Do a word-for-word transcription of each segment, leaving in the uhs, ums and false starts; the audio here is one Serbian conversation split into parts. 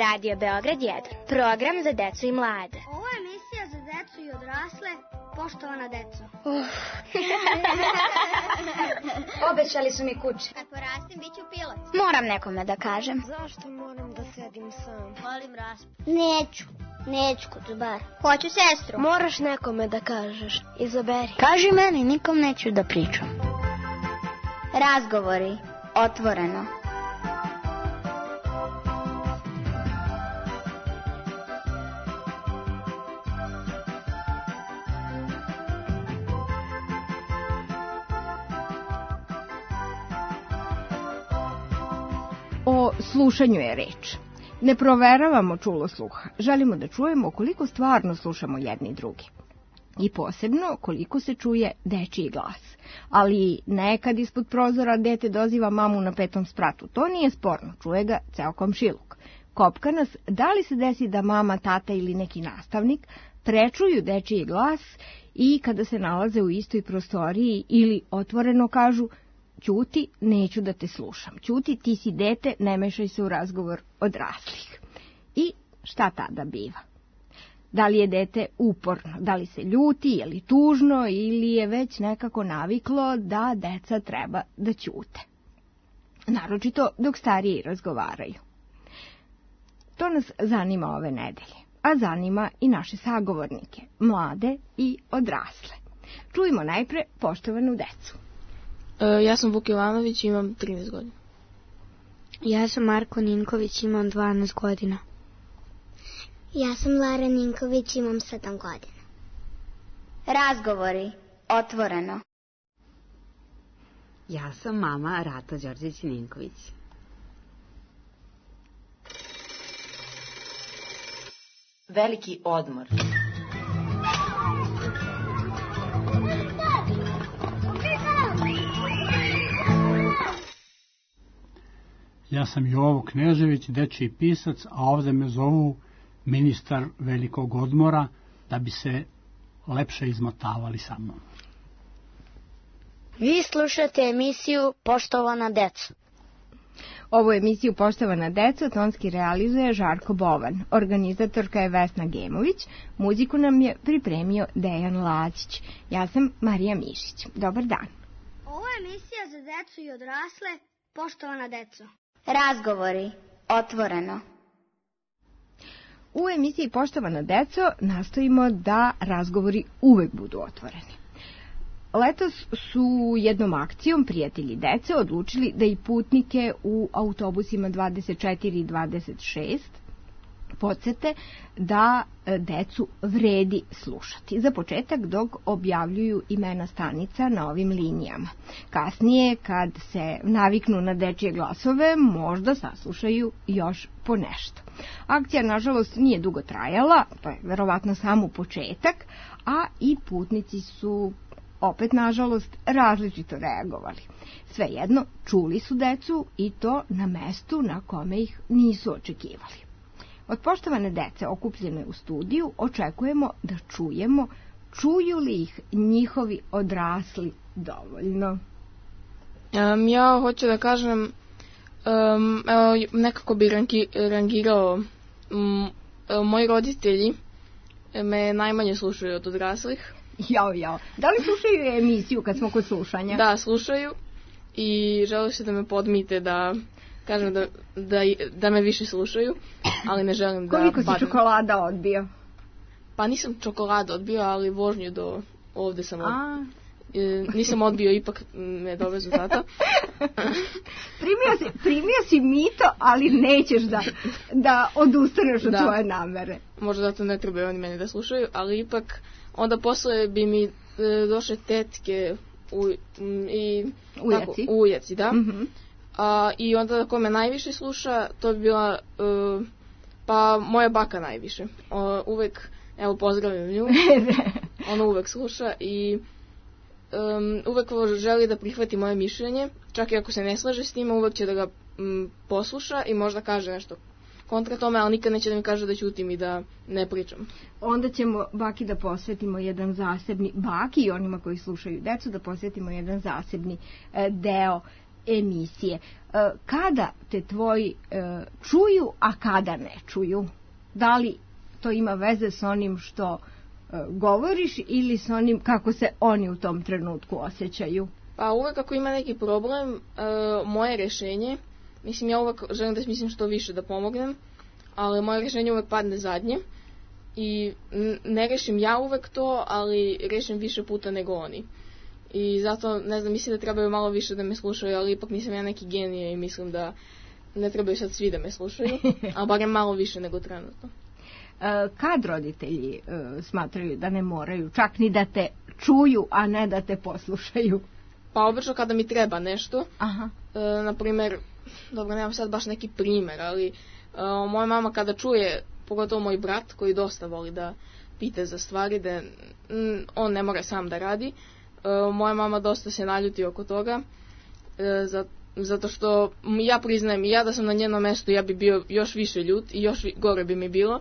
Radio Beograd jedan, program za decu i mlade. Ovo je emisija za decu i odrasle, poštovana deco. Uh. Obećali su mi kuće. Kad porastim, bit ću pilot. Moram nekome da kažem. Zašto moram da sedim sam? Volim raspad. Neću, neću kod bar. Hoću sestru. Moraš nekome da kažeš, izaberi. Kaži meni, nikom neću da pričam. Razgovori, otvoreno. O slušanju je reč. Ne proveravamo čulo sluha. Želimo da čujemo koliko stvarno slušamo jedni drugi. I posebno koliko se čuje dečiji glas. Ali nekad ispod prozora dete doziva mamu na petom spratu. To nije sporno, čuje ga ceo komšiluk. Kopka nas, da li se desi da mama, tata ili neki nastavnik prečuju dečiji glas i kada se nalaze u istoj prostoriji ili otvoreno kažu: ćuti, neću da te slušam. Ćuti, ti si dete, ne mešaj se u razgovor odraslih. I šta tada biva? Da li je dete uporno, da li se ljuti, je li tužno ili je već nekako naviklo da deca treba da ćute. Naročito dok stariji razgovaraju. To nas zanima ove nedelje, a zanima i naše sagovornike, mlade i odrasle. Čujmo najpre poštovanu decu. Ja sam Vuk Jovanović, imam trinaest godina. Ja sam Marko Ninković, imam dvanaest godina. Ja sam Lara Ninković, imam sedam godina. Razgovori, otvoreno. Ja sam mama Rata Đorđević-Ninković. Veliki odmor. Ja sam Jovo Knežević, dečiji pisac, a ovde me zovu ministar velikog odmora, da bi se lepše izmotavali sa mnom. Vi slušate emisiju Poštovana deca. Ovu emisiju Poštovana deca tonski realizuje Žarko Bovan. Organizatorka je Vesna Gemović. Muziku nam je pripremio Dejan Lađić. Ja sam Marija Mišić. Dobar dan. Ovo je emisija za decu i odrasle, poštovana deco. Razgovori, otvoreno. U emisiji Poštovana deco nastojimo da razgovori uvek budu otvoreni. Letos su jednom akcijom prijatelji dece odlučili da i putnike u autobusima dvadeset četiri i dvadeset šest podsete da decu vredi slušati. Za početak dok objavljuju imena stanica na ovim linijama. Kasnije, kad se naviknu na dečije glasove, možda saslušaju još po nešto. Akcija, nažalost, nije dugo trajala, to je verovatno samo početak, a i putnici su opet, nažalost, različito reagovali. Svejedno, čuli su decu i to na mestu na kome ih nisu očekivali. Od poštovane dece okupljene u studiju očekujemo da čujemo, čuju li ih njihovi odrasli dovoljno. Um, ja hoću da kažem, um, evo, nekako bi rangi, rangirao, um, moji roditelji me najmanje slušaju od odraslih. Jao, jao. Da li slušaju emisiju kad smo kod slušanja? Da, slušaju i žele se da me podmite da kažem da, da, da me više slušaju, ali ne želim da... Koliko si padnem. čokolada odbio? Pa nisam čokolada odbio, ali vožnju do ovde sam odbio. E, nisam odbio, ipak me dovezu tata. primio, si, primio si mito, ali nećeš da, da odustaneš od da. Svoje namere. Možda zato ne trebaju oni mene da slušaju, ali ipak onda posle bi mi e, došle tetke u, m, i... Ujaci. Tako, ujaci, da. Mm-hmm. A, I onda ko me najviše sluša, to bi bila uh, pa moja baka najviše. O, uvek, evo, pozdravim nju. Ona uvek sluša i um, uvek želi da prihvati moje mišljenje. Čak i ako se ne slaže s njima, uvek će da ga um, posluša i možda kaže nešto kontra tome, ali nikad neće da mi kaže da ćutim i da ne pričam. Onda ćemo baki da posvetimo jedan zasebni, baki i onima koji slušaju decu, da posvetimo jedan zasebni e, deo emisije. Kada te tvoji čuju, a kada ne čuju? Da li to ima veze s onim što govoriš ili s onim kako se oni u tom trenutku osjećaju? Pa uvek ako ima neki problem, moje rešenje, mislim ja uvek želim da mislim što više da pomognem, ali moje rešenje uvek padne zadnje i ne rešim ja uvek to, ali rešim više puta nego oni. I zato, ne znam, mislim da trebaju malo više da me slušaju, ali ipak nisam ja neki genije i mislim da ne trebaju sad svi da me slušaju, ali barem malo više nego trenutno. Kad roditelji smatraju da ne moraju, čak ni da te čuju, a ne da te poslušaju? Pa obično kada mi treba nešto. Aha. E, naprimer, dobro, nemam sad baš neki primer, ali e, moja mama kada čuje, pogotovo moj brat koji dosta voli da pita za stvari, da m, on ne mora sam da radi, e, moja mama dosta se naljuti oko toga, e, za, zato što ja priznajem, ja da sam na njenom mestu, ja bi bio još više ljut i još gore bi mi bilo.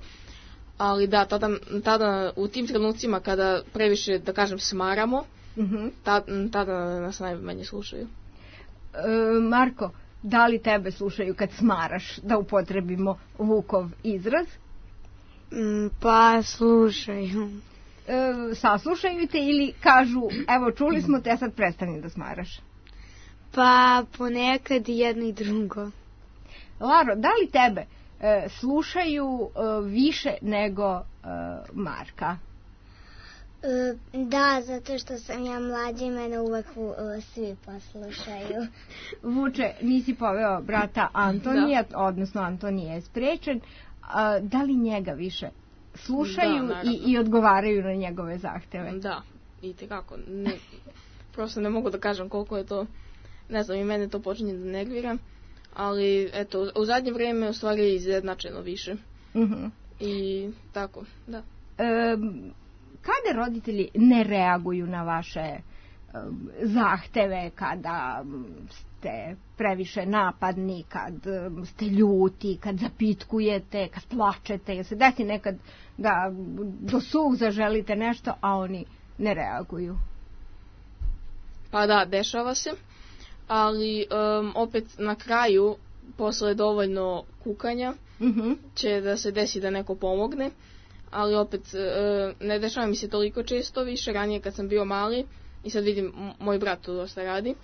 Ali da, tada, tada u tim trenucima kada previše, da kažem, smaramo, uh-huh. tada, tada nas najmanje slušaju. E, Marko, da li tebe slušaju kad smaraš, da upotrebimo Vukov izraz? Mm, pa slušaju. E, saslušaju te ili kažu, evo čuli smo te, sad prestani da smaraš? Pa ponekad jedno i drugo. Laro, da li tebe e, slušaju e, više nego e, Marka? E, da, zato što sam ja mlađa i mene uvek e, svi poslušaju. Vuče, nisi poveo brata Antonija, da. Odnosno Antonije je sprečen. A, da li njega više slušaju da, i, i odgovaraju na njegove zahteve? Da, i tekako. Ne, prosto ne mogu da kažem koliko je to, ne znam, i mene to počinje da nervira, ali eto, u zadnje vreme u stvari je izjednačeno više. Uh-huh. I tako, da. E, kada roditelji ne reaguju na vaše um, zahteve, kada ste previše napadni, kad um, ste ljuti, kad zapitkujete, kad plačete, jel se desi nekad da do suza želite nešto, a oni ne reaguju? Pa da, dešava se, ali um, opet na kraju, posle dovoljno kukanja, uh-huh. će da se desi da neko pomogne, ali opet uh, ne dešava mi se toliko često više, ranije kad sam bio mali i sad vidim moj brat to dosta radi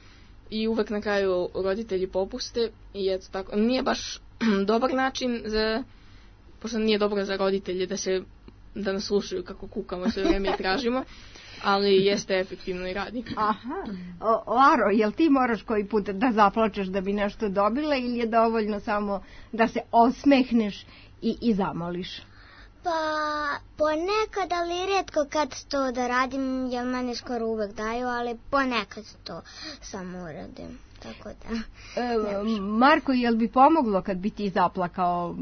i uvek na kraju roditelji popuste i eto tako, nije baš dobar način za, pošto nije dobro za roditelje da se da nas slušaju kako kukamo sve vreme i tražimo, ali jeste efektivno i radi. Aha. O, Laro, jel ti moraš koji put da zaplačeš da bi nešto dobila ili je dovoljno samo da se osmehneš i, i zamoliš? Pa ponekad, ali rijetko kad to da radim, jer meni skoro uvek daju, ali ponekad to samo uradim. Tako da. E, Marko, jel bi pomoglo kad bi ti zaplakao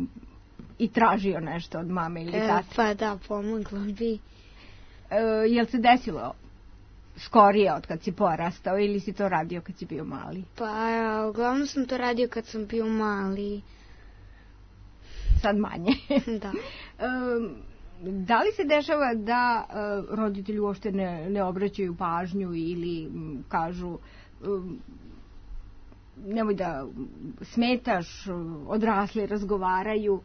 i tražio nešto od mame ili tate? E, pa da, pomoglo bi. E, jel se desilo skorije od kad si porastao ili si to radio kad si bio mali? Pa uglavnom sam to radio kad sam bio mali. Sad manje. Da. E, da li se dešava da e, roditelji uopšte ne, ne obraćaju pažnju ili m, kažu e, nemoj da smetaš, odrasli razgovaraju?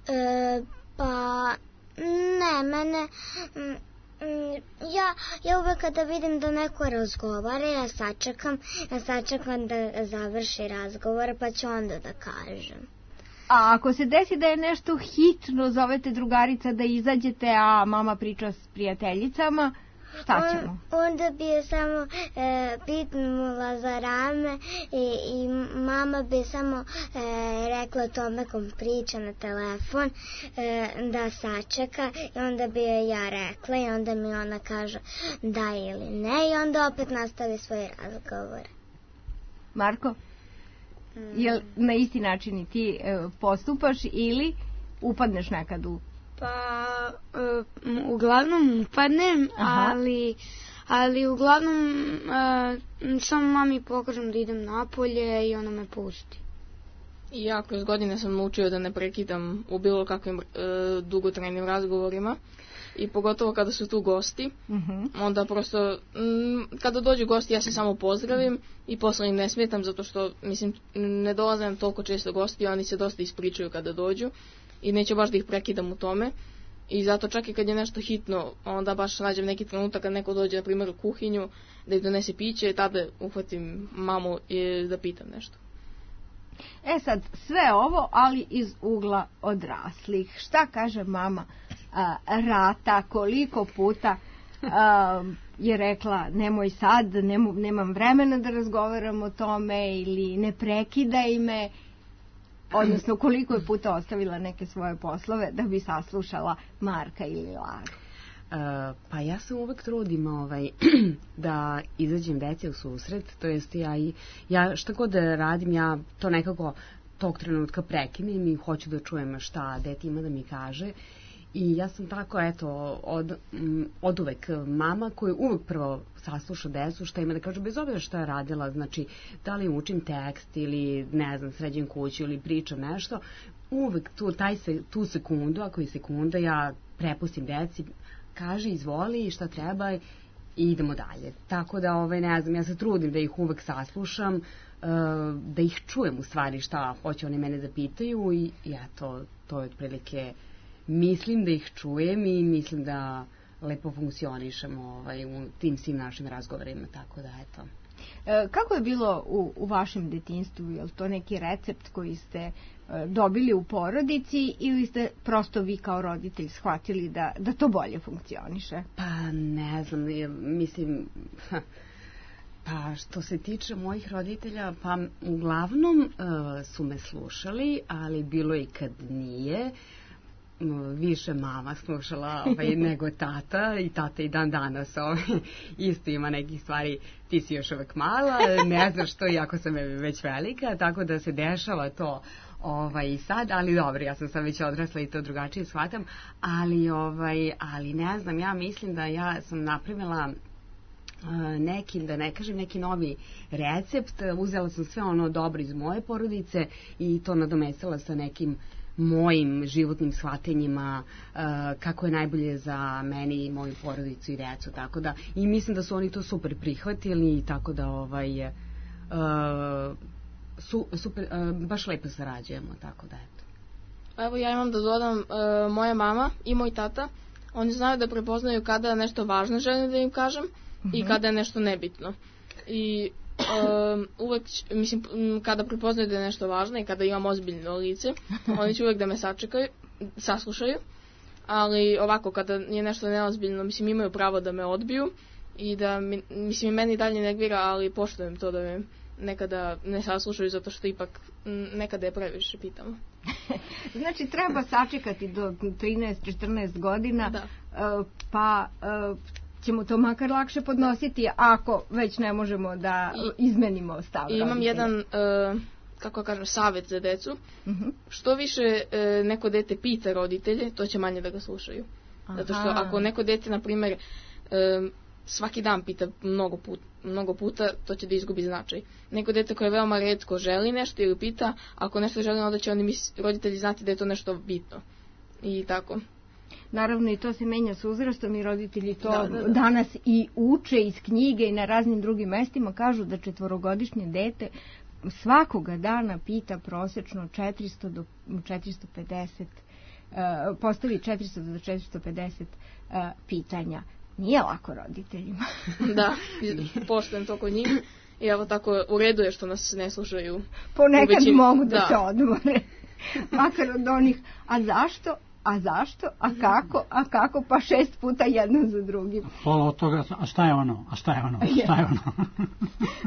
E, pa ne, mene m, Ja, ja uvek kada vidim da neko razgovara, ja sačekam, ja sačekam da završi razgovor, pa ću onda da kažem. A ako se desi da je nešto hitno, zovete drugarica da izađete, a mama priča s prijateljicama, šta ćemo? On, onda bi je samo e, pitnula za rame i, i mama bi samo e, rekla tome kom priča na telefon e, da sačeka i onda bi je ja rekla i onda mi ona kaže da ili ne i onda opet nastavi svoj razgovor. Marko, mm. jel na isti način i ti e, postupaš ili upadneš nekad u... Pa, uh, uglavnom upadnem, ali, ali uglavnom uh, samo mami pokažem da idem napolje i ona me pusti. I ja kroz godine sam naučio da ne prekidam u bilo kakvim e, dugotrajnim razgovorima. I pogotovo kada su tu gosti, uh-huh. onda prosto, m, kada dođu gosti ja se samo pozdravim i posle im ne smetam zato što, mislim, ne dolaze nam toliko često gosti, oni se dosta ispričaju kada dođu i neću baš da ih prekidam u tome. I zato čak i kad je nešto hitno, onda baš nađem neki trenutak kad neko dođe, na primjer, u kuhinju, da ih donese piće, tada uhvatim mamu i da pitam nešto. E sad, sve ovo, ali iz ugla odraslih. Šta kaže mama a, Rata, koliko puta a, je rekla nemoj sad, nemo, nemam vremena da razgovaram o tome ili ne prekidaj me, odnosno koliko je puta ostavila neke svoje poslove da bi saslušala Marka ili Laru? Uh, pa ja se uvek trudim ovaj, da izađem deci u susret, to jest ja, i, ja šta god da radim, ja to nekako tog trenutka prekinem i hoću da čujem šta dete ima da mi kaže. I ja sam tako, eto, od, od uvek mama koja uvek prvo sasluša decu šta ima da kaže, bez obzira šta je radila, znači da li učim tekst ili ne znam, sređem kuću ili pričam nešto, uvek tu, taj se, tu sekundu, ako je sekunda, ja prepustim deci, kaže, izvoli šta treba i idemo dalje. Tako da, ovaj, ne znam, ja se trudim da ih uvek saslušam, da ih čujem u stvari šta hoće oni mene da pitaju i eto, to je otprilike, mislim da ih čujem i mislim da lepo funkcionišemo ovaj, u tim svim našim razgovorima, tako da eto. E, kako je bilo u, u vašem detinjstvu? Je li to neki recept koji ste e, dobili u porodici ili ste prosto vi kao roditelj shvatili da, da to bolje funkcioniše? Pa ne znam, mislim, pa što se tiče mojih roditelja, pa uglavnom e, su me slušali, ali bilo i kad nije. Više mama slušala ovaj, nego tata i tata i dan danas ovaj, isto ima nekih stvari, ti si još uvek mala, ne znaš što, iako sam već velika, tako da se dešava to ovaj, i sad, ali dobro, ja sam sad već odrasla i to drugačije shvatam, ali, ovaj, ali ne znam, ja mislim da ja sam napravila neki, da ne kažem, neki novi recept, uzela sam sve ono dobro iz moje porodice i to nadomestila sa nekim mojim životnim shvatenjima, uh, kako je najbolje za meni i moju porodicu i decu, tako da, i mislim da su oni to super prihvatili, tako da ovaj, uh, su, super, uh, baš lepo sarađujemo, tako da eto. Evo ja imam da dodam, uh, moja mama i moj tata, oni znaju da prepoznaju kada je nešto važno želim da im kažem uh-huh. i kada je nešto nebitno. I Um, uvek, mislim, kada prepoznaju da je nešto važno i kada imam ozbiljno lice, oni će uvek da me sačekaju, saslušaju, ali ovako, kada je nešto neozbiljno, mislim, imaju pravo da me odbiju i da, mi, mislim, meni dalje negvira, ali poštujem to da me nekada ne saslušaju, zato što ipak nekada je previše pitamo. Znači, treba sačekati do trinaest četrnaest godina, da. pa ćemo to makar lakše podnositi ako već ne možemo da I, izmenimo stav roditelja. Imam jedan, uh, kako kažem, savjet za decu. Uh-huh. Što više uh, neko dete pita roditelje, to će manje da ga slušaju. Aha. Zato što ako neko dete, na primjer, uh, svaki dan pita mnogo, put, mnogo puta, to će da izgubi značaj. Neko dete koje veoma retko želi nešto ili pita, ako nešto želi, onda će oni mis, roditelji znati da je to nešto bitno. I tako. Naravno i to se menja s uzrastom i roditelji to da, da, da. danas i uče iz knjige i na raznim drugim mestima, kažu da četvorogodišnje dete svakoga dana pita prosečno četiristo do četiristo pedeset, uh, postavi četiristo do četiristo pedeset uh, pitanja. Nije lako roditeljima. Da, poštujem to kod njih i evo tako u redu je što nas ne slušaju. Ponekad mogu da, da se odmore. Makar od onih, a zašto? A zašto? A kako? A kako? Pa šest puta jedno za drugim. Pola od toga, a šta je ono? A šta je ono? Šta je ono?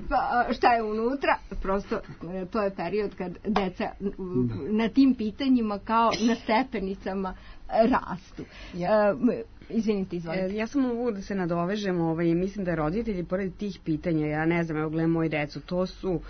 Pa šta je unutra? Prosto to je period kad deca na tim pitanjima kao na stepenicama rastu. Ja. Izvinite, izvolite. Ja samo mogu da se nadovežem, ovaj, mislim da roditelji, pored tih pitanja, ja ne znam, evo gledam moju decu, to su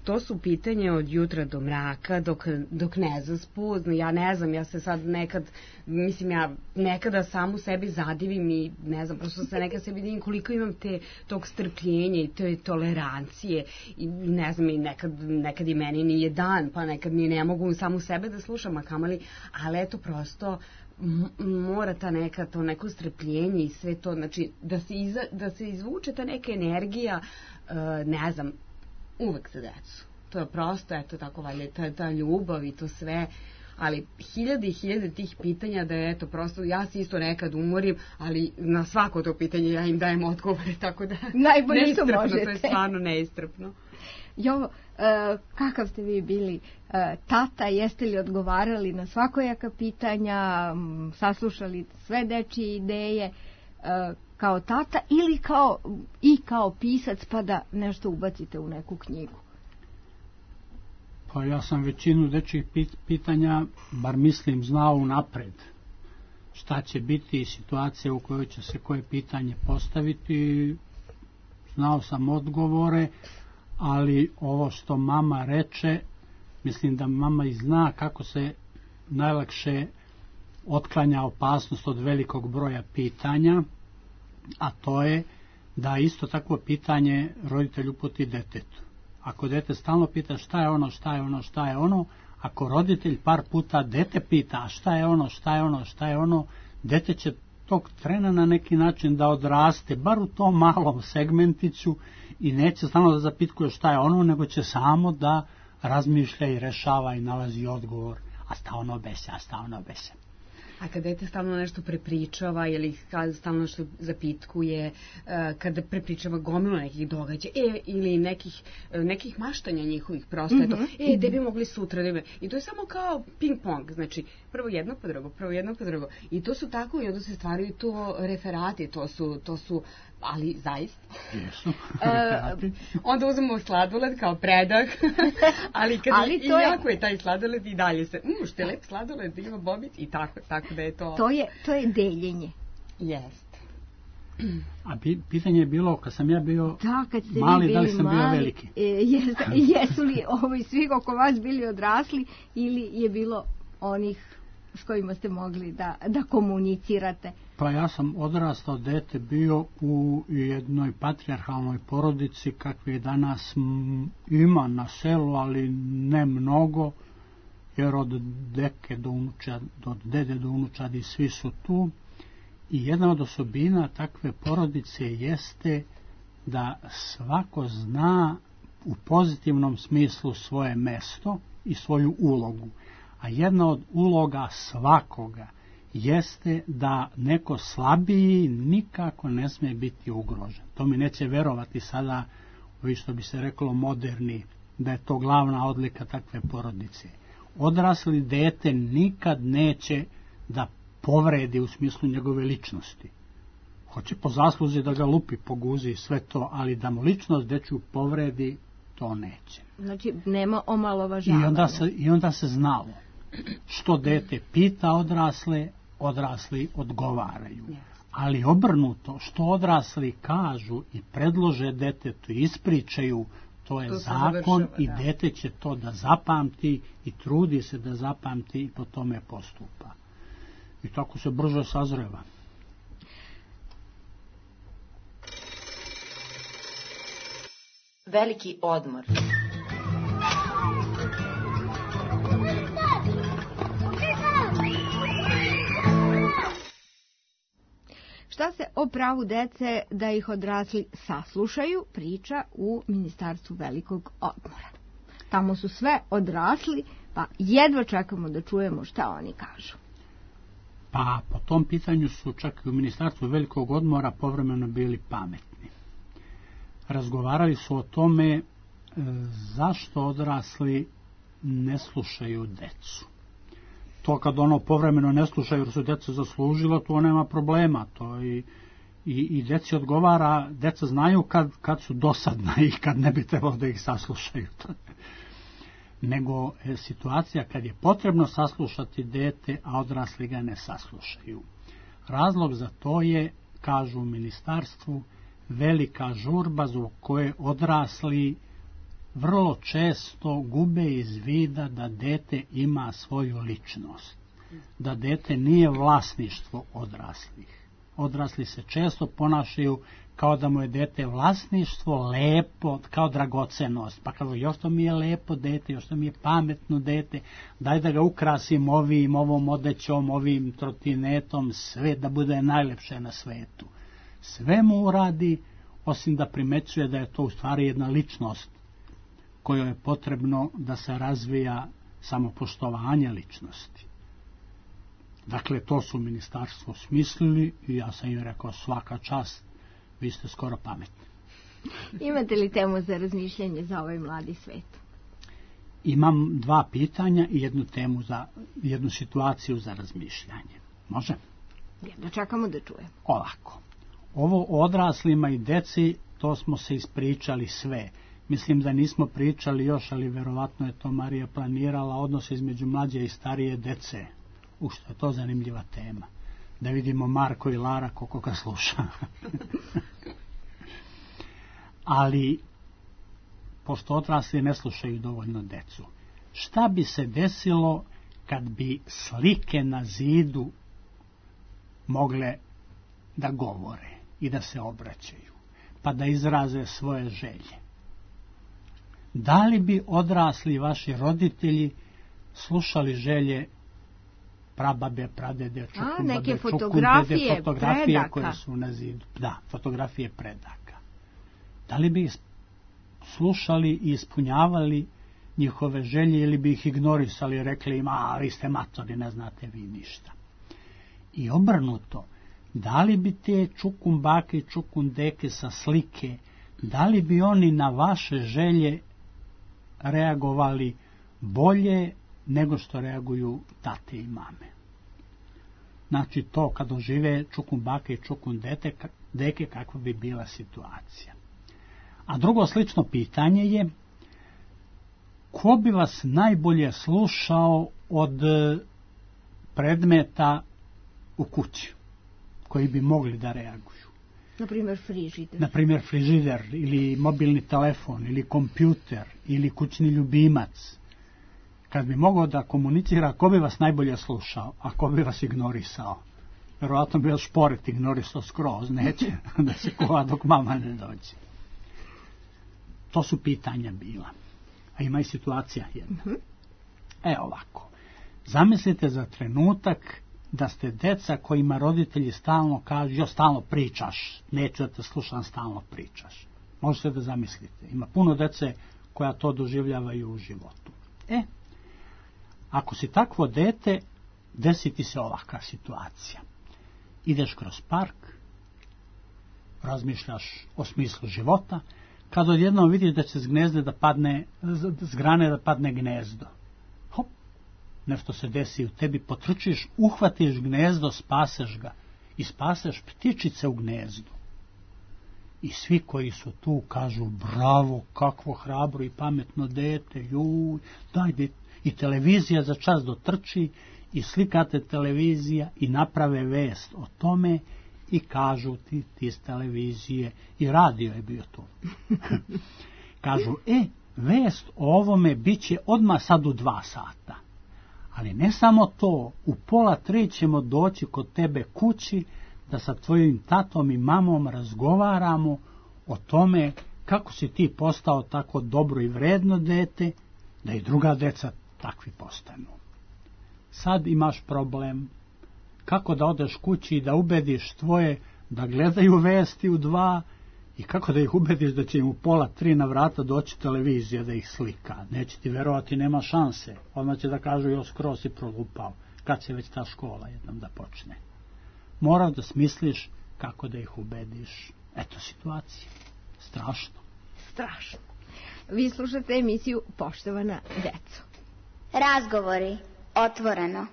To su pitanje od jutra do mraka, dok, dok ne zaspu. Ja ne znam, ja se sad nekad, mislim, ja nekada samu sebi zadivim i ne znam, prosto se nekad sebi divim koliko imam te, tog strpljenja i te tolerancije i ne znam, i nekad, nekad i meni nije dan, pa nekad ni ne mogu samu sebe da slušam, a kamali, ali eto prosto mora ta neka, to neko strpljenje i sve to, znači da se, iza, da se izvuče ta neka energija, ne znam, uvek za decu. To je prosto, eto tako valjda, ta, ta ljubav i to sve, ali hiljade i hiljade tih pitanja da je, eto, prosto, ja se isto nekad umorim, ali na svako to pitanje ja im dajem odgovore, tako da najbolje što možete. To je stvarno neistrpno. Jovo, uh, kakav ste vi bili uh, tata, jeste li odgovarali na svakojaka pitanja, um, saslušali sve dečije ideje, uh, kao tata ili kao, i kao pisac pa da nešto ubacite u neku knjigu? Pa ja sam većinu dečjih pitanja, bar mislim, znao unapred. Šta će biti situacija u kojoj će se koje pitanje postaviti, znao sam odgovore, ali ovo što mama reče, mislim da mama i zna kako se najlakše otklanja opasnost od velikog broja pitanja, a to je da isto takvo pitanje roditelj uputi detetu. Ako dete stalno pita šta je ono, šta je ono, šta je ono, ako roditelj par puta dete pita šta je ono, šta je ono, šta je ono, dete će tog trena na neki način da odraste, bar u tom malom segmentiću i neće stalno da zapitkuje šta je ono, nego će samo da razmišlja i rešava i nalazi odgovor, a sta ono bese, a sta ono bese. A kada dete stalno nešto prepričava ili stalno nešto zapitkuje, kada prepričava gomilu nekih događaja e, ili nekih, nekih maštanja njihovih prosto, mm-hmm. eto, e, gde bi mogli sutra, da bi... I to je samo kao ping-pong, znači prvo jedno po drugo, prvo jedno po drugo. I to su tako i onda se stvaraju to referati, to su, to su ali zaista. Jesu. uh, onda uzmemo sladoled kao predah, ali kad ali i, je... jako je taj sladoled i dalje se, um, što je lep sladoled, ima bobic i tako, tako da je to... To je, to je deljenje. Jest. A pitanje je bilo, kad sam ja bio da, kad ste mali, bili da li sam mali, bio veliki? E, jes, jesu li ovi svi oko vas bili odrasli ili je bilo onih s kojima ste mogli da, da komunicirate? Pa ja sam odrastao dete bio u jednoj patrijarhalnoj porodici kakve danas ima na selu, ali ne mnogo, jer od deke do unučad, od dede do unučadi svi su tu. I jedna od osobina takve porodice jeste da svako zna u pozitivnom smislu svoje mesto i svoju ulogu. A jedna od uloga svakoga jeste da neko slabiji nikako ne smije biti ugrožen. To mi neće verovati sada, ovi što bi se reklo moderni, da je to glavna odlika takve porodice. Odrasli dete nikad neće da povredi u smislu njegove ličnosti. Hoće po zasluzi da ga lupi po guzi i sve to, ali da mu ličnost dečju povredi, to neće. Znači, nema omalovažavanja. I onda se, i onda se znalo. Što dete pita odrasle, odrasli odgovaraju. Ali obrnuto, što odrasli kažu i predlože detetu i ispričaju, to je to zakon i da. Dete će to da zapamti i trudi se da zapamti i po tome postupa. I tako se brzo sazreva. Veliki odmor. Šta se o pravu dece da ih odrasli saslušaju priča u Ministarstvu velikog odmora. Tamo su sve odrasli, pa jedva čekamo da čujemo šta oni kažu. Pa po tom pitanju su čak i u Ministarstvu velikog odmora povremeno bili pametni. Razgovarali su o tome e, zašto odrasli ne slušaju decu. To kad ono povremeno ne slušaju jer su deca zaslužila, to nema problema. To i, i, i deci odgovara, deca znaju kad, kad su dosadna i kad ne bi trebalo da ih saslušaju. Nego je situacija kad je potrebno saslušati dete, a odrasli ga ne saslušaju. Razlog za to je, kažu u ministarstvu, velika žurba zbog koje odrasli vrlo često gube iz vida da dete ima svoju ličnost, da dete nije vlasništvo odraslih. Odrasli se često ponašaju kao da mu je dete vlasništvo, lepo, kao dragocenost. Pa kažu, još to mi je lepo dete, još to mi je pametno dete, daj da ga ukrasim ovim, ovom odećom, ovim trotinetom, sve da bude najlepše na svetu. Sve mu uradi, osim da primećuje da je to u stvari jedna ličnost kojoj je potrebno da se razvija samopoštovanje ličnosti. Dakle, to su ministarstvo smislili i ja sam im rekao svaka čast, vi ste skoro pametni. Imate li temu za razmišljanje za ovaj mladi svet? Imam dva pitanja i jednu temu za, jednu situaciju za razmišljanje. Može? Da čekamo da čujem. Ovako. Ovo odraslima i deci, to smo se ispričali sve. Mislim da nismo pričali još, ali verovatno je to Marija planirala, odnos između mlađe i starije dece. U što je to zanimljiva tema. Da vidimo Marko i Lara koliko ga sluša. Ali, pošto odrasli ne slušaju dovoljno decu, šta bi se desilo kad bi slike na zidu mogle da govore i da se obraćaju, pa da izraze svoje želje? Da li bi odrasli vaši roditelji slušali želje prababe, pradede, čukumbabe, neke fotografije, čukundede, fotografije predaka. koje su na zidu? Da, fotografije predaka. Da li bi slušali i ispunjavali njihove želje ili bi ih ignorisali i rekli im, a vi ste matori, ne znate vi ništa. I obrnuto, da li bi te čukumbake i čukundeke sa slike, da li bi oni na vaše želje reagovali bolje nego što reaguju tate i mame? Znači to kad ožive čukumbake i čukundeke, kakva bi bila situacija. A drugo slično pitanje je, ko bi vas najbolje slušao od predmeta u kući koji bi mogli da reaguju? Na primjer frižider. Na primjer frižider ili mobilni telefon ili kompjuter ili kućni ljubimac. Kad bi mogao da komunicira, ko bi vas najbolje slušao, a ko bi vas ignorisao? Verovatno bi vas šporet ignorisao skroz, neće da se kova dok mama ne dođe. To su pitanja bila. A ima i situacija jedna. Mm-hmm. E ovako, zamislite za trenutak da ste deca kojima roditelji stalno kažu, jo stalno pričaš, neću da te slušam, stalno pričaš. Možete da zamislite. Ima puno dece koja to doživljavaju u životu. E, ako si takvo dete, desi ti se ovakva situacija. Ideš kroz park, razmišljaš o smislu života, kad odjednom vidiš da će s gnezde da padne, s grane da padne gnezdo. Hop, nešto se desi u tebi, potrčiš, uhvatiš gnezdo, spaseš ga i spaseš ptičice u gnezdu. I svi koji su tu kažu, bravo, kakvo hrabro i pametno dete, juj, daj dete. I televizija za čas dotrči i slikate televizija i naprave vest o tome i kažu ti, ti iz televizije, i radio je bio tu. Kažu, e, vest o ovome bit će odmah sad u dva sata. Ali ne samo to, u pola tri ćemo doći kod tebe kući da sa tvojim tatom i mamom razgovaramo o tome kako si ti postao tako dobro i vredno dete, da i druga deca takvi postanu. Sad imaš problem kako da odeš kući i da ubediš tvoje da gledaju vesti u dva i kako da ih ubediš da će im u pola tri na vrata doći televizija da ih slika. Neće ti verovati, nema šanse. Odmah će da kažu, jo, skroz si prolupao. Kad će već ta škola jednom da počne? Moraš da smisliš kako da ih ubediš. Eto situacija. Strašno. Strašno. Vi slušate emisiju Poštovana deco. Razgovori otvoreno.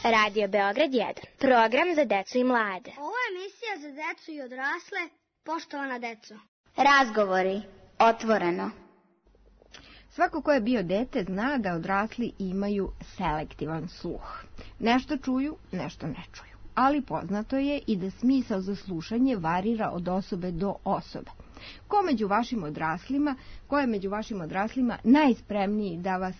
Radio Beograd jedan. Program za decu i mlade. Ovo je emisija za decu i odrasle. Poštovana deco. Razgovori. Otvoreno. Svako ko je bio dete zna da odrasli imaju selektivan sluh. Nešto čuju, nešto ne čuju. Ali poznato je i da smisao za slušanje varira od osobe do osobe. Ko među vašim odraslima, ko je među vašim odraslima najspremniji da vas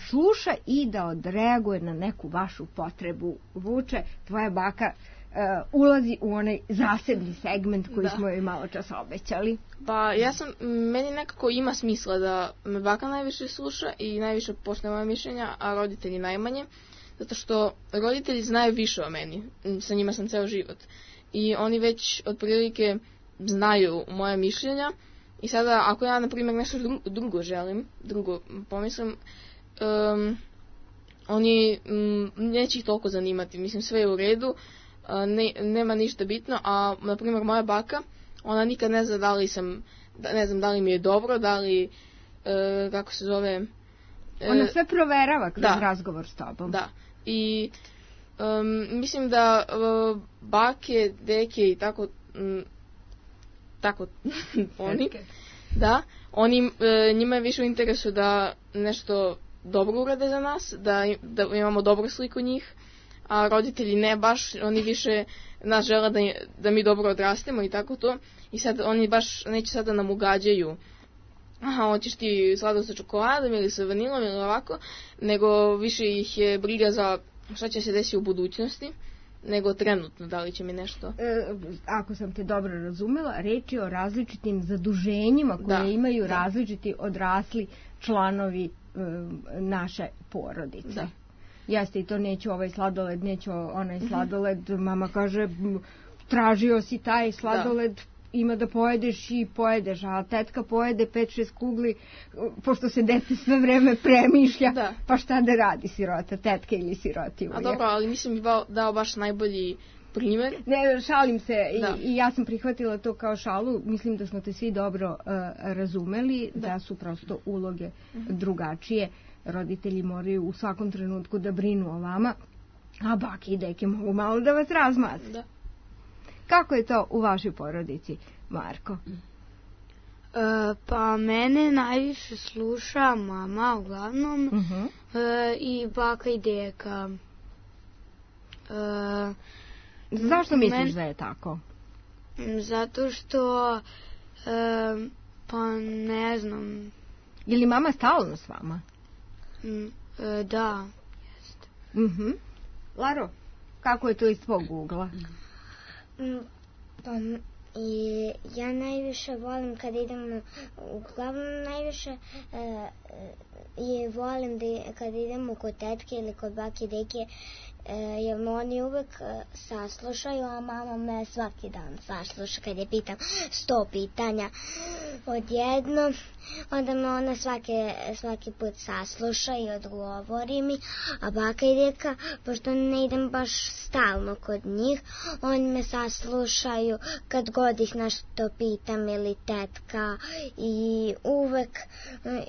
sluša i da odreaguje na neku vašu potrebu? Vuče, tvoja baka uh, ulazi u onaj zasebni segment koji da. smo joj malo čas obećali. Pa ja sam, meni nekako ima smisla da me baka najviše sluša i najviše poštuje moje mišljenja, a roditelji najmanje, zato što roditelji znaju više o meni, sa njima sam ceo život. I oni već otprilike znaju moje mišljenja i sada ako ja na primjer nešto drugo želim, drugo pomislim, um, oni um, neće ih toliko zanimati, mislim sve je u redu, uh, ne, nema ništa bitno, a na primjer moja baka, ona nikad ne zna da li sam, da, ne znam da li mi je dobro, da li, uh, kako se zove... Uh, ona sve proverava kroz da, razgovor s tobom. Da, i um, mislim da uh, bake, deke i tako... Um, tako oni, da, oni, e, njima je više u interesu da nešto dobro urade za nas, da, da imamo dobru sliku njih, a roditelji ne baš, oni više nas žele da, da mi dobro odrastemo i tako to, i sad oni baš neće sada nam ugađaju, aha, hoćeš ti sladol sa čokoladom ili sa vanilom ili ovako, nego više ih je briga za šta će se desiti u budućnosti, nego trenutno, da li će mi nešto... E, ako sam te dobro razumela, reč je o različitim zaduženjima koje da, imaju da. različiti odrasli članovi e, naše porodice. Da. Jeste, i to neću ovaj sladoled, neću onaj sladoled, mm-hmm. mama kaže, tražio si taj sladoled, da. ima da pojedeš i pojedeš, a tetka pojede pet šest kugli, pošto se dete sve vreme premišlja, da. pa šta da radi sirota, tetka ili sirotinja. A dobro, ali mislim bi dao baš najbolji primjer. Ne, šalim se i, i ja sam prihvatila to kao šalu, mislim da smo te svi dobro uh, razumeli, da. da su prosto uloge uh-huh. drugačije, roditelji moraju u svakom trenutku da brinu o vama, a bake i deke mogu malo da vas razmaze. Da. Kako je to u vašoj porodici, Marko? E, pa mene najviše sluša mama uglavnom uh-huh. e, i baka i deka. E, Zašto misliš men... da je tako? Zato što, e, pa ne znam. Je li mama stalno s vama? Mm, e, da, jeste. Uh-huh. Laro, kako je to iz tvog ugla? Pa i ja najviše volim kad idemo, uglavnom najviše e, je volim da kad idemo kod tetke ili kod bake i deke, e, jer oni uvek e, saslušaju, a mama me svaki dan sasluša kad je pitam sto pitanja odjedno, onda me ona svake, svaki put sasluša i odgovori mi, a baka i deka, pošto ne idem baš stalno kod njih, oni me saslušaju kad god ih nešto pitam ili tetka i uvek,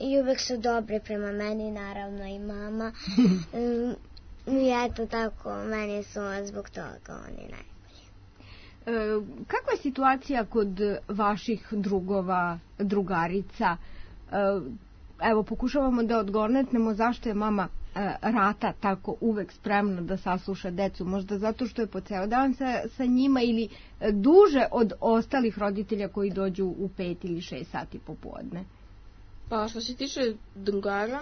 i uvek su dobri prema meni, naravno i mama. I eto tako, meni su zbog toga oni najbolji. E, kakva je situacija kod vaših drugova, drugarica? E, evo, pokušavamo da odgonetnemo zašto je mama e, Rata tako uvek spremna da sasluša decu. Možda zato što je po ceo dan sa, sa njima ili e, duže od ostalih roditelja koji dođu u pet ili šest sati popodne. Pa što se tiče drugara,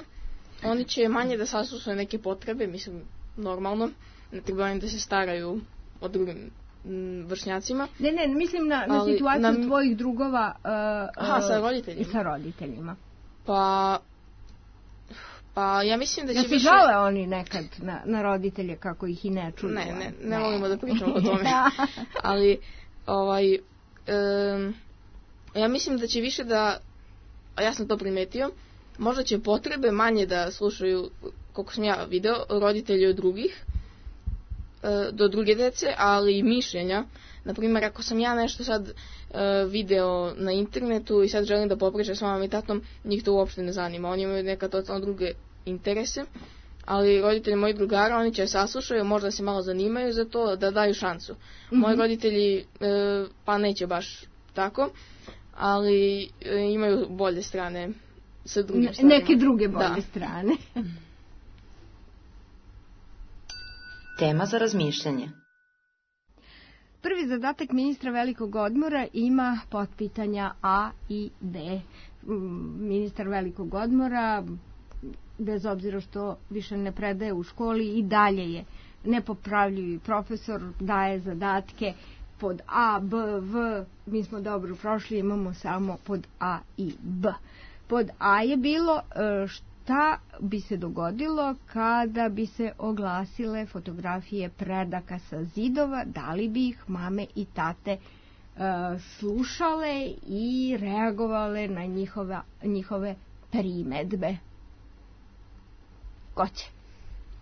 oni će manje da saslušaju neke potrebe, mislim, normalno. Ne treba da se staraju o drugim m, vršnjacima. Ne, ne, mislim na, na situaciju na, tvojih drugova uh, aha, sa roditeljima. I sa roditeljima. Pa, pa ja mislim da će ja više... više... žale oni nekad na, na roditelje kako ih i ne čuju. Ne, ne, ne, ne volimo da pričamo o tome. Ali, ovaj, um, ja mislim da će više da, a ja sam to primetio, možda će potrebe manje da slušaju, koliko sam ja video, roditelji od drugih, do druge dece, ali i mišljenja. Naprimjer, ako sam ja nešto sad video na internetu i sad želim da popričam s mamom i tatom, njih to uopšte ne zanima. Oni imaju neka totalno druge interese, ali roditelji mojih drugara, oni će saslušaju, možda se malo zanimaju za to, da daju šansu. Mm-hmm. Moji roditelji, e, pa neće baš tako, ali e, imaju bolje strane sa drugim stvarima. Neke druge bolje da. strane. Tema za razmišljanje. Prvi zadatak ministra velikog odmora ima potpitanja A i B. Ministar velikog odmora, bez obzira što više ne predaje u školi, i dalje je nepopravljivi profesor, daje zadatke pod A, B, V. Mi smo dobro prošli, imamo samo pod A i B. Pod A je bilo šta bi se dogodilo kada bi se oglasile fotografije predaka sa zidova, da li bi ih mame i tate slušale i reagovale na njihove, njihove primedbe. Ko će?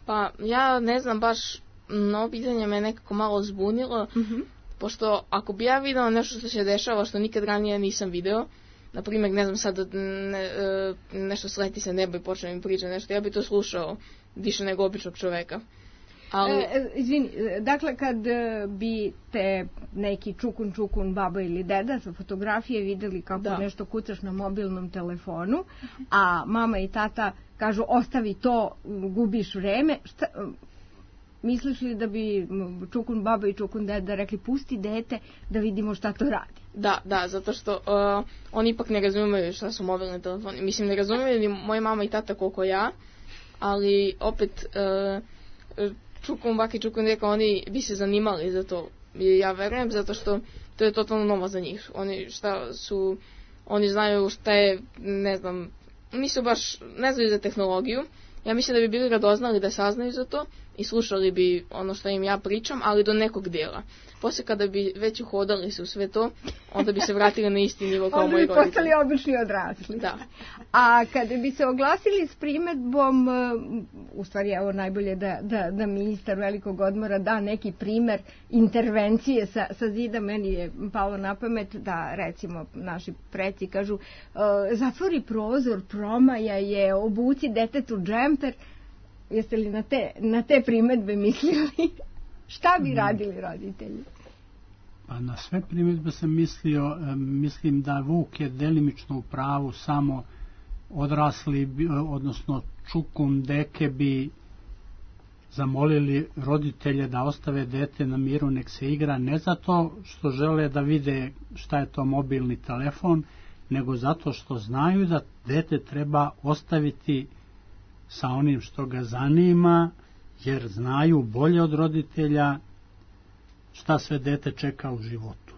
Pa ja ne znam baš, no pitanje me nekako malo zbunilo, mm-hmm. pošto ako bi ja videla nešto što se dešava što nikad ranije nisam video, na primjer, ne znam sad, ne, nešto sleti se nebo i počne mi pričati nešto, ja bi to slušao više nego običnog čoveka. Ali... E, izvini, dakle, kad bi te neki čukun čukun baba ili deda sa fotografije videli kako da. nešto kucaš na mobilnom telefonu, a mama i tata kažu ostavi to, gubiš vreme, šta, misliš li da bi čukun baba i čukun deda rekli pusti dete da vidimo šta to radi? Da, da, zato što uh, oni ipak ne razumiju šta su mobilni telefoni. Mislim, ne razumiju ni moja mama i tata koliko ja, ali opet uh, čukun, baki, čukun deka, oni bi se zanimali za to. I ja verujem, zato što to je totalno novo za njih. Oni šta su, oni znaju šta je, ne znam, nisu baš, ne znaju za tehnologiju. Ja mislim da bi bili radoznali da saznaju za to i slušali bi ono što im ja pričam, ali do nekog dijela. Poslije kada bi već uhodali se u sve to, onda bi se vratili na isti nivo kao moji roditelji. Onda bi postali obični odrasli. Da. A kada bi se oglasili s primedbom, u stvari evo najbolje da, da, da ministar velikog odmora da neki primer intervencije sa, sa zida, meni je palo na pamet da recimo naši preci kažu zatvori prozor, promaja je, obuci detetu džemper. Jeste li na te, na te primedbe mislili? Šta bi radili roditelji? Pa na sve primjedbe sam mislio, mislim da Vuk je delimično u pravu, samo odrasli, odnosno čukun deke bi zamolili roditelje da ostave dete na miru, nek se igra, ne zato što žele da vide šta je to mobilni telefon, nego zato što znaju da dete treba ostaviti sa onim što ga zanima, jer znaju bolje od roditelja šta sve dete čeka u životu.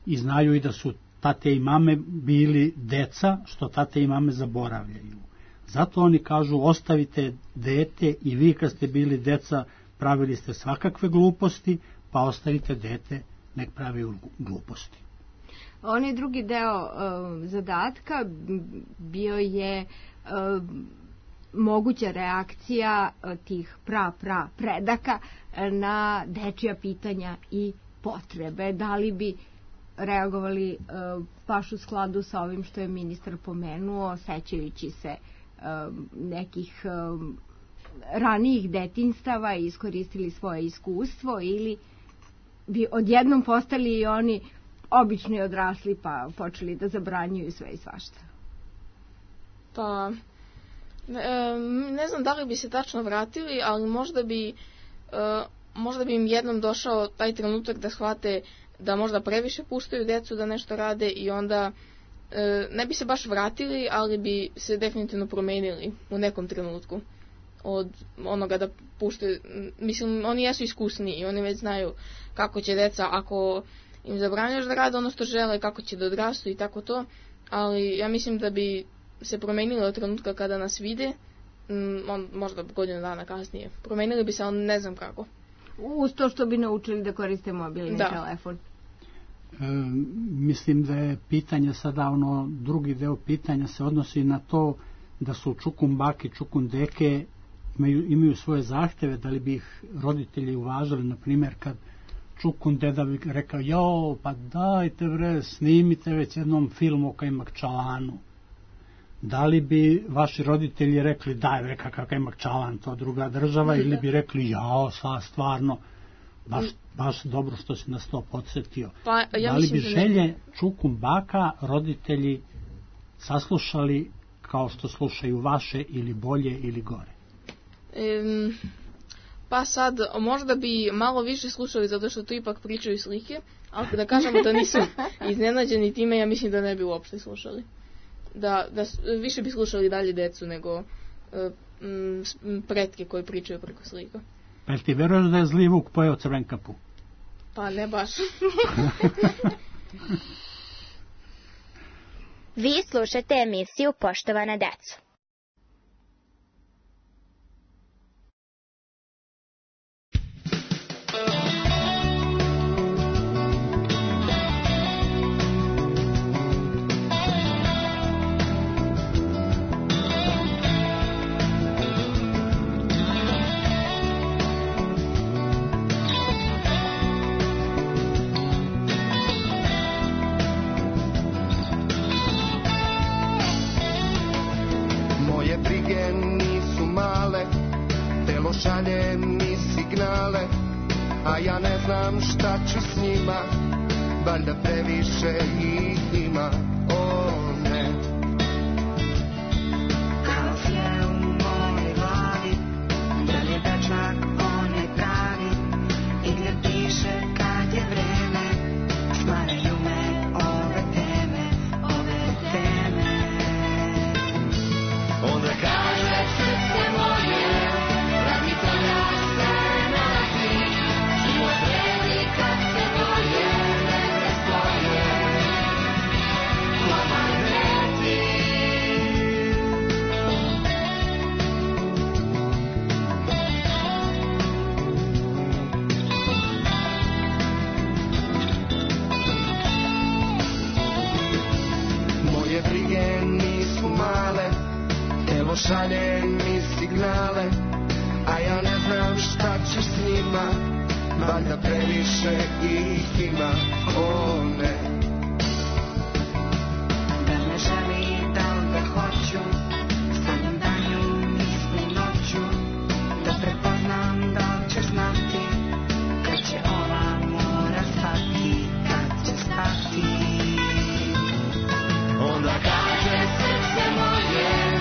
I znaju i da su tate i mame bili deca, što tate i mame zaboravljaju. Zato oni kažu ostavite dete i vi kad ste bili deca pravili ste svakakve gluposti, pa ostavite dete nek pravi gluposti. Onaj drugi deo uh, zadatka bio je uh, moguća reakcija tih pra, pra, predaka na dečija pitanja i potrebe. Da li bi reagovali baš u skladu sa ovim što je ministar pomenuo, sećajući se nekih ranijih detinjstava i iskoristili svoje iskustvo, ili bi odjednom postali i oni obični odrasli pa počeli da zabranjuju sve i svašta? Pa... Ne, ne znam da li bi se tačno vratili, ali možda bi, možda bi im jednom došao taj trenutak da shvate da možda previše puštaju decu da nešto rade i onda ne bi se baš vratili, ali bi se definitivno promenili u nekom trenutku od onoga da puštaju. Mislim, oni jesu iskusni i oni već znaju kako će deca, ako im zabranjaš da rade ono što žele, kako će da odrastu i tako to, ali ja mislim da bi se promenili od trenutka kada nas vide, on, možda godinu dana kasnije. Promenili bi se, ali ne znam kako. Uz to što bi naučili da koriste mobilni da. telefon. E, mislim da je pitanje sada, ono, drugi deo pitanja se odnosi na to da su čukun baki, čukun deke imaju, imaju svoje zahteve, da li bi ih roditelji uvažili, na primjer kad čukun deda bi rekao, jo, pa dajte bre, snimite već jednom film o Kajmakčalanu. da li bi vaši roditelji rekli daj veka kakav imak čalan, to druga država, ili bi rekli jao, sva stvarno, baš, baš dobro što si nas to podsjetio. Pa, ja da li bi da želje ne... čukum baka roditelji saslušali kao što slušaju vaše ili bolje ili gore? Um, pa sad, možda bi malo više slušali zato što tu ipak pričaju slike, ali da kažemo da nisu iznenađeni time, ja mislim da ne bi uopšte slušali. Da, da više bi slušali dalje decu nego uh, m, pretke koji pričaju preko slika. Pa jel ti veruješ da je zli vuk pojeo Crvenkapu? Pa ne baš. Vi slušate emisiju Poštovana deco. Šalje mi signale, a ja ne znam šta ću s njima, valjda previše ih ima, o ne. Kaos je u mojoj glavi, da li je dečak onaj pravi, i gdje piše kad je vreme, stvaraju me ove teme, ove teme. Onda kaže srce moje, šalje mi signale, a ja ne znam šta ću s njima, valjda previše ih ima, o ne. Da me želi, da li ga hoću, sanjam danju, mislim noću, da prepoznam da li ćeš znati, kad će ova mora stati, kad će stati. Onda kaže srce moje,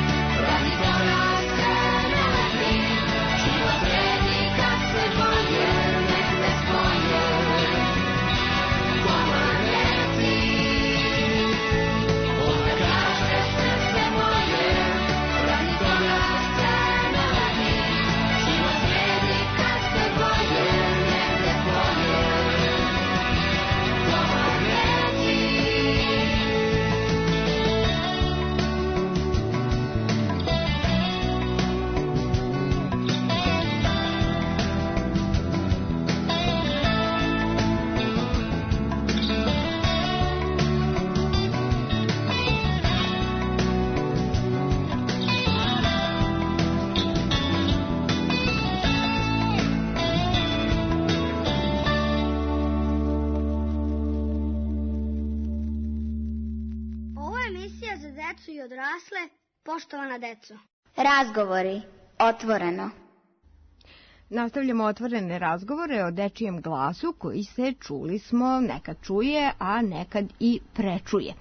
i odrasle, poštovana deco. Razgovori, otvoreno. Nastavljamo otvorene razgovore o dečijem glasu koji se, čuli smo, nekad čuje, a nekad i prečuje.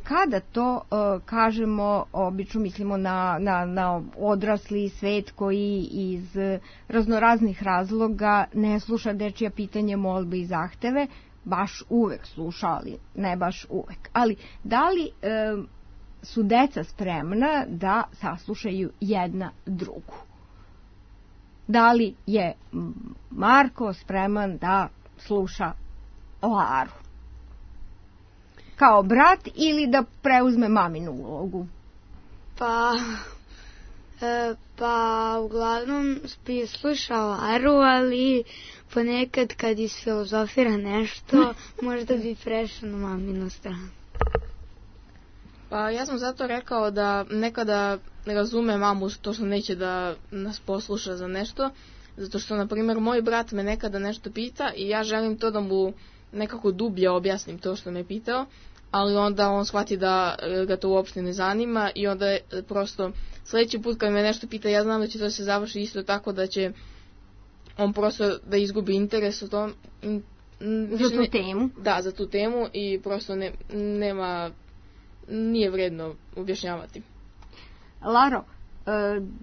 Kada to kažemo, obično mislimo na, na, na odrasli svet koji iz raznoraznih razloga ne sluša dečija pitanje, molbe i zahteve, baš uvek sluša, ali ne baš uvek. Ali da li e, su deca spremna da saslušaju jedna drugu? Da li je Marko spreman da sluša Laru kao brat ili da preuzme maminu ulogu? Pa, e, pa uglavnom bi slušao Laru, ali ponekad kad isfilozofira nešto, možda bi prešao na maminu stranu. Pa ja sam zato rekao da nekada razume mamu to što neće da nas posluša za nešto, zato što, na primjer, moj brat me nekada nešto pita i ja želim to da mu nekako dublje objasnim to što me pitao, ali onda on shvati da ga to uopšte ne zanima i onda je prosto sledeći put kad me nešto pita, ja znam da će to se završi isto tako da će on prosto da izgubi interes u tom in, za tu temu. Da, za tu temu i prosto ne, nema, nije vredno objašnjavati. Laro,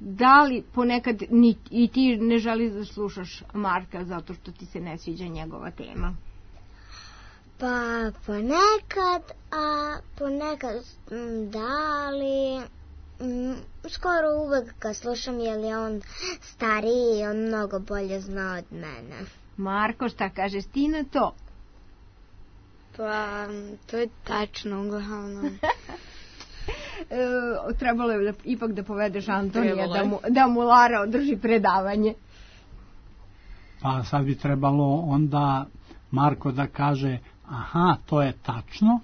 da li ponekad ni, i ti ne želiš da slušaš Marka zato što ti se ne sviđa njegova tema? Pa ponekad, a ponekad da, ali m, skoro uvek kad slušam jer je on stariji i on mnogo bolje zna od mene. Marko, šta kažeš ti na to? Pa, to je tačno, uglavnom. E, trebalo je da, ipak da povedeš Antonija da mu, da mu Lara održi predavanje. Pa sad bi trebalo onda Marko da kaže, aha, to je tačno,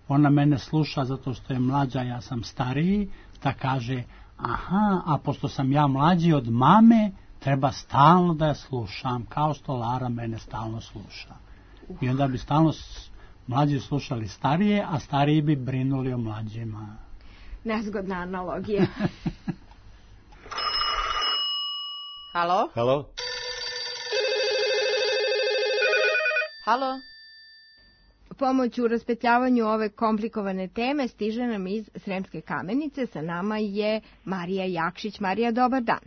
ona mene sluša zato što je mlađa, ja sam stariji, da kaže, aha, a pošto sam ja mlađi od mame, treba stalno da je slušam, kao što Lara mene stalno sluša. I onda bi stalno mlađi slušali starije, a stariji bi brinuli o mlađima. Nezgodna analogija. Halo? Halo? Halo? Pomoć u raspetljavanju ove komplikovane teme stiže nam iz Sremske Kamenice. Sa nama je Marija Jakšić. Marija, dobar dan.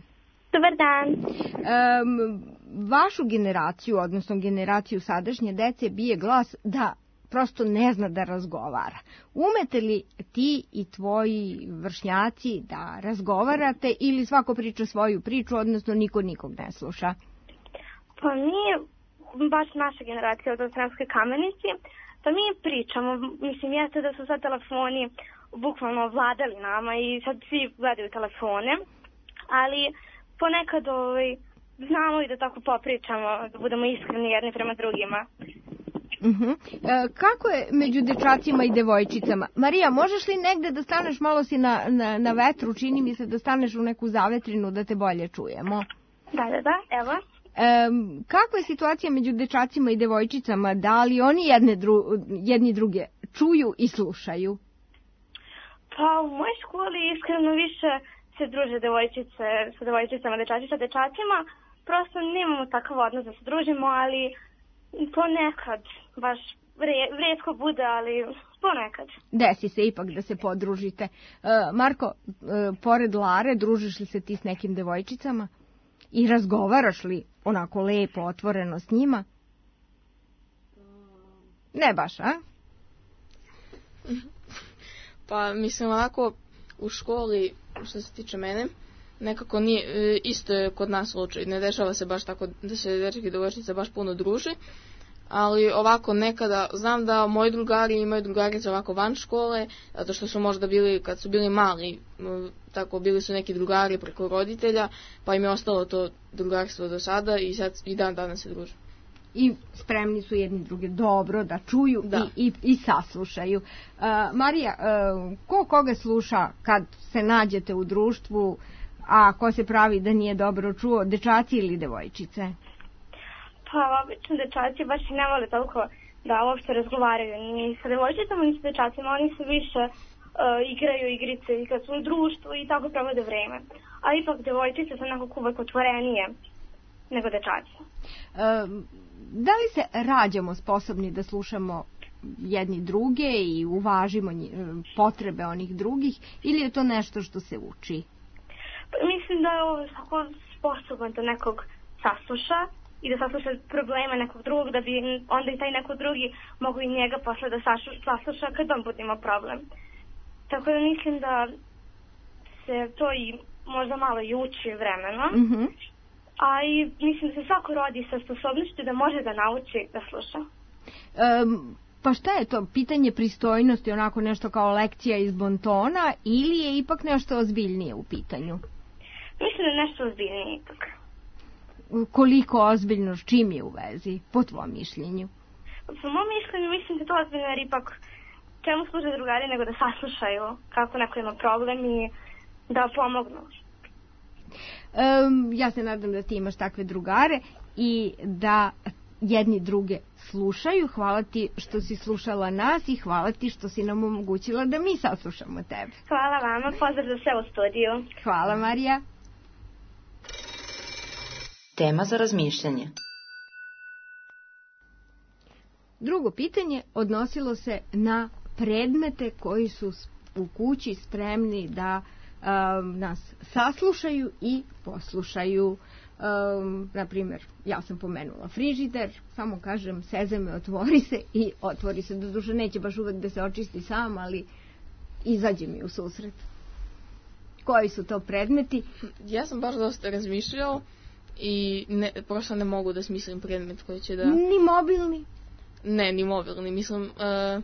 Dobar dan. Um, vašu generaciju, odnosno generaciju sadašnje dece, bije glas da prosto ne zna da razgovara. Umete li ti i tvoji vršnjaci da razgovarate ili svako priča svoju priču, odnosno niko nikog ne sluša? Pa mi, baš naša generacija od Sremske Kamenici, pa mi pričamo, mislim, jeste da su sad telefoni bukvalno vladali nama i sad svi gledaju telefone, ali ponekad ovaj, znamo i da tako popričamo, da budemo iskreni jedni prema drugima. Uh-huh. E, kako je među dečacima i devojčicama? Marija, možeš li negde da staneš, malo si na, na, na vetru, čini mi se da staneš u neku zavetrinu da te bolje čujemo? Da, da, da, evo. E, kakva je situacija među dečacima i devojčicama? Da li oni jedne dru, jedni druge čuju i slušaju? Pa u mojoj školi iskreno više se druže devojčice sa devojčicama, dečaci sa dečacima. Prosto nemamo takav odnos da se družimo, ali ponekad, baš rijetko bude, ali ponekad. Desi se ipak da se podružite. E, Marko, e, pored Lare, družiš li se ti s nekim devojčicama? I razgovaraš li onako lepo, otvoreno s njima? Ne baš, a? Pa mislim onako u školi, što se tiče mene, nekako nije, isto je kod nas slučaj. Ne dešava se baš tako da se dečki i devojčice baš puno druže, ali ovako nekada, znam da moji drugari imaju drugarice ovako van škole, zato što su možda bili, kad su bili mali, tako bili su neki drugari preko roditelja, pa im je ostalo to drugarstvo do sada i sad i dan danas se druže. I spremni su jedni druge dobro da čuju da. I, i, i saslušaju. Uh, Marija, uh, ko koga sluša kad se nađete u društvu, a ko se pravi da nije dobro čuo, dečaci ili devojčice? Pa obično dečaci baš i ne vole toliko da uopšte razgovaraju ni sa devojčicama ni sa dečacima, oni se više uh, igraju igrice i kad su u društvu i tako provode vreme. A ipak devojčice su nekako uvek otvorenije nego dečaci. Um, da li se rađamo sposobni da slušamo jedni druge i uvažimo potrebe onih drugih ili je to nešto što se uči? Pa, mislim da je ovo svako sposoban da nekog sasluša i da sasluša probleme nekog drugog, da bi onda i taj neko drugi mogu i njega posle da sasluša kad on bude imao problem. Tako da mislim da se to i možda malo i uči vremenom. Mm-hmm. A i mislim da se svako rodi sa sposobnošću da može da nauči da sluša. Um, pa šta je to? Pitanje pristojnosti, onako nešto kao lekcija iz bontona ili je ipak nešto ozbiljnije u pitanju? Mislim da je nešto ozbiljnije ipak. Koliko ozbiljno, s čim je u vezi, po tvojom mišljenju? Po mojom mišljenju mislim da je to ozbiljno jer ipak čemu služe drugari nego da saslušaju kako neko ima problem i da pomognu. Um, ja se nadam da ti imaš takve drugare i da jedni druge slušaju. Hvala ti što si slušala nas i hvala ti što si nam omogućila da mi saslušamo tebe. Hvala vama, pozdrav za sve u studiju. Hvala, Marija. Tema za razmišljanje. Drugo pitanje odnosilo se na predmete koji su u kući spremni da um, nas saslušaju i poslušaju. Um, na primjer, ja sam pomenula frižider, samo kažem Sezame, otvori se i otvori se. Doduše neće baš uvek da se očisti sam, ali izađe mi u susret. Koji su to predmeti? Ja sam baš dosta razmišljao i ne, prosto ne mogu da smislim predmet koji će da... Ni mobilni? Ne, ni mobilni. Mislim, uh,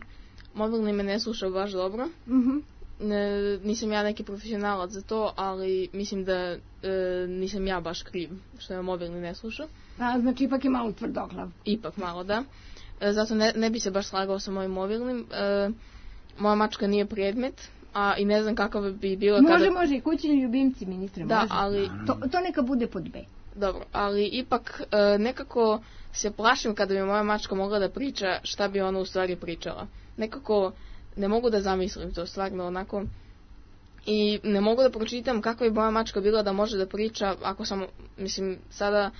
mobilni me ne sluša baš dobro. Mhm. Ne, nisam ja neki profesionalac za to, ali mislim da e, nisam ja baš kriv što me mobilni ne sluša. A, znači ipak je malo tvrdoglav. Ipak malo, da. E, zato ne, ne bi se baš slagao sa mojim mobilnim. E, moja mačka nije predmet, a i ne znam kakav bi bilo može, kada... Može, može, kućni ljubimci, ministre, da, može. Ali... To, to neka bude pod B. Dobro, ali ipak e, nekako se plašim kada bi moja mačka mogla da priča šta bi ona u stvari pričala. Nekako... Ne mogu da zamislim to stvarno onako i ne mogu da pročitam kakva bi moja mačka bila da može da priča ako samo, mislim, sada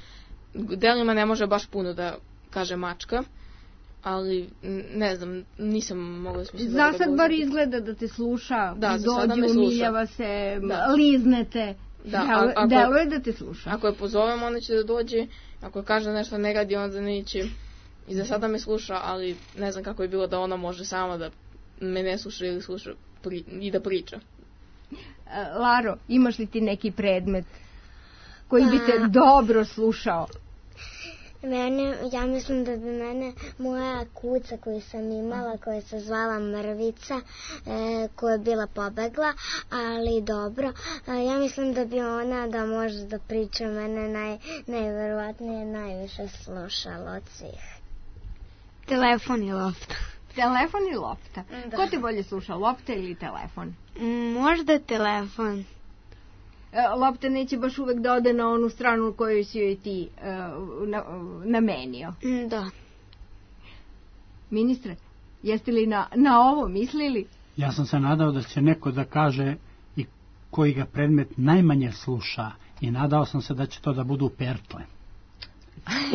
delima ne može baš puno da kaže mačka, ali ne znam, nisam mogla da smislim. Za sad bar izgleda da te sluša, da, dođe, umiljava se, da. Liznete, da, deluje da te sluša. Ako je pozovem, onda će da dođe, ako je kaže nešto ne radi, onda neće. I za sada me sluša, ali ne znam kako je bilo da ona može sama da me ne sluša ili sluša pri, i da priča. Laro, imaš li ti neki predmet koji bi te dobro slušao? Mene, ja mislim da bi mene moja kuca koju sam imala, koja se zvala Mrvica, e, koja je bila pobegla, ali dobro, e, ja mislim da bi ona da može da priča, mene naj, najverovatnije najviše slušala od svih. Telefon i lopta. Telefon i lopta. Da. Ko te bolje sluša, lopta ili telefon? Možda telefon. Lopta neće baš uvek da ode na onu stranu koju si joj ti uh, na, namenio. Da. Ministre, jeste li na, na ovo mislili? Ja sam se nadao da će neko da kaže i koji ga predmet najmanje sluša i nadao sam se da će to da budu pertle.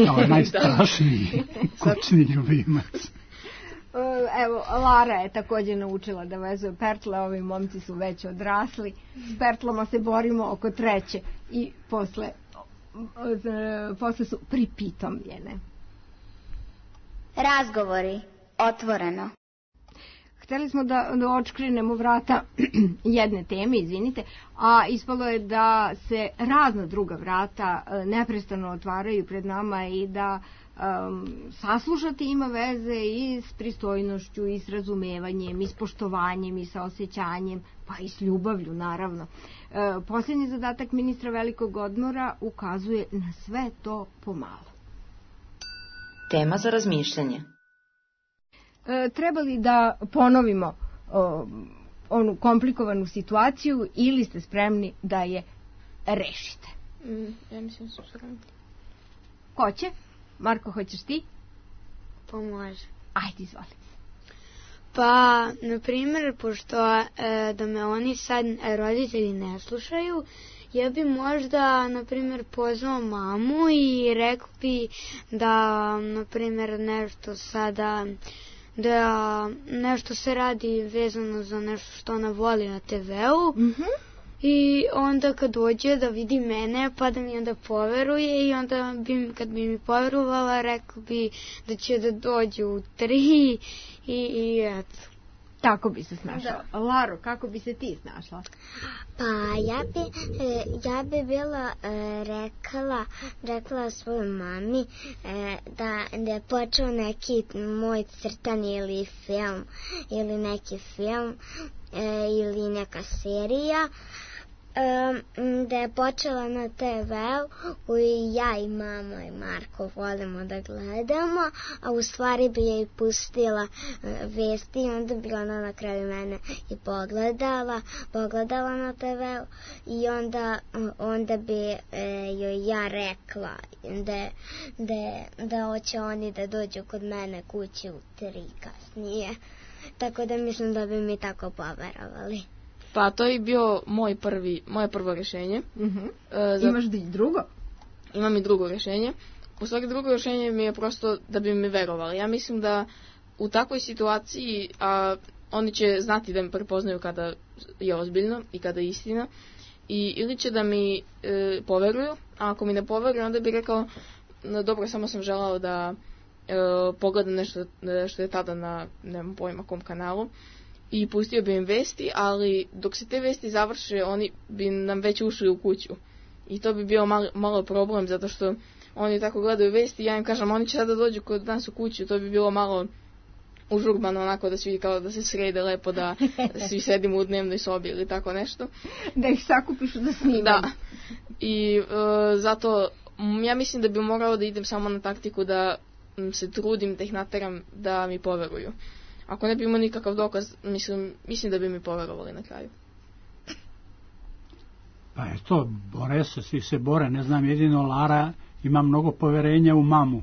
Kao najstrašniji kućni ljubimac. Evo, Lara je također naučila da vezuje pertle, ovi momci su već odrasli. S pertlama se borimo oko treće i posle, posle su pripitomljene. Razgovori, otvoreno. Hteli smo da, da očkrinemo vrata jedne teme, izvinite, a ispalo je da se razna druga vrata neprestano otvaraju pred nama i da um, saslušati ima veze i s pristojnošću, i s razumevanjem, i s poštovanjem, i sa osjećanjem, pa i s ljubavlju, naravno. E, posljednji zadatak ministra velikog odmora ukazuje na sve to pomalo. Tema za razmišljanje. E, treba li da ponovimo o, onu komplikovanu situaciju ili ste spremni da je rešite? Mm, ja mislim da su spremni. Ko će? Marko, hoćeš ti? Pa može. Ajde, izvoli. Pa, na primjer, pošto e, da me oni sad roditelji ne slušaju, ja bi možda, na primjer, pozvao mamu i rekao bi da, na primjer, nešto sada, da nešto se radi vezano za nešto što ona voli na te veu. Mhm. I onda kad dođe da vidi mene, pa da mi onda poveruje i onda bi, kad bi mi poverovala, rekao bi da će da dođe u tri i, i eto. Tako bi se snašla. Da. Laro, kako bi se ti snašla? Pa ja bi, ja bi bila rekla, rekla svojoj mami da, da je počeo neki moj crtani ili film, ili neki film, ili neka serija. um, da je počela na te veu i ja i mama i Marko volimo da gledamo, a u stvari bi je i pustila uh, vesti i onda bi ona na kraju mene i pogledala, pogledala na te veu i onda, uh, onda bi uh, joj ja rekla da, da, da hoće oni da dođu kod mene kući u tri kasnije. Tako da mislim da bi mi tako poverovali. Pa to je bio moj prvi, moje prvo rješenje. Uh-huh. E, za... Imaš da i drugo? Imam i drugo rješenje. U stvari drugo rješenje mi je prosto da bi mi verovali. Ja mislim da u takvoj situaciji a, oni će znati da mi prepoznaju kada je ozbiljno i kada je istina. I ili će da mi e, poveruju, a ako mi ne poveruju onda bi rekao no, dobro, samo sam želao da e, pogledam nešto što je tada na nemam pojma kom kanalu i pustio bi im vesti, ali dok se te vesti završe oni bi nam već ušli u kuću i to bi bio malo, malo problem zato što oni tako gledaju vesti i ja im kažem oni će sada dođu kod nas u kuću, to bi bilo malo užurbano onako da svi kao da se srede lepo da svi sedimo u dnevnoj sobi ili tako nešto. Da ih sakupiš da snimaju. Da. I e, zato ja mislim da bi morao da idem samo na taktiku da se trudim da ih nateram da mi poveruju. Ako ne bi imao nikakav dokaz, mislim, mislim da bi mi poverovali na kraju. Pa eto, bore se, svi se bore, ne znam, jedino Lara ima mnogo poverenja u mamu.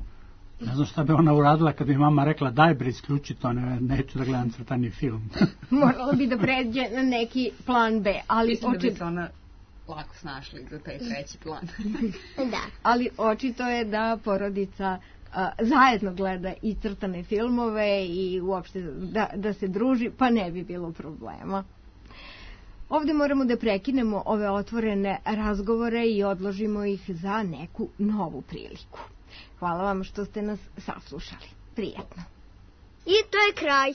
Ne znam šta bi ona uradila kad bi mama rekla daj bre isključi to, ne, neću da gledam crtani film. Morala bi da pređe na neki plan B, ali mislim očito... da bi se ona lako snašli za taj treći plan. Da. Ali očito je da porodica a, zajedno gleda i crtane filmove i uopšte da, da se druži, pa ne bi bilo problema. Ovdje moramo da prekinemo ove otvorene razgovore i odložimo ih za neku novu priliku. Hvala vam što ste nas saslušali. Prijetno. I to je kraj.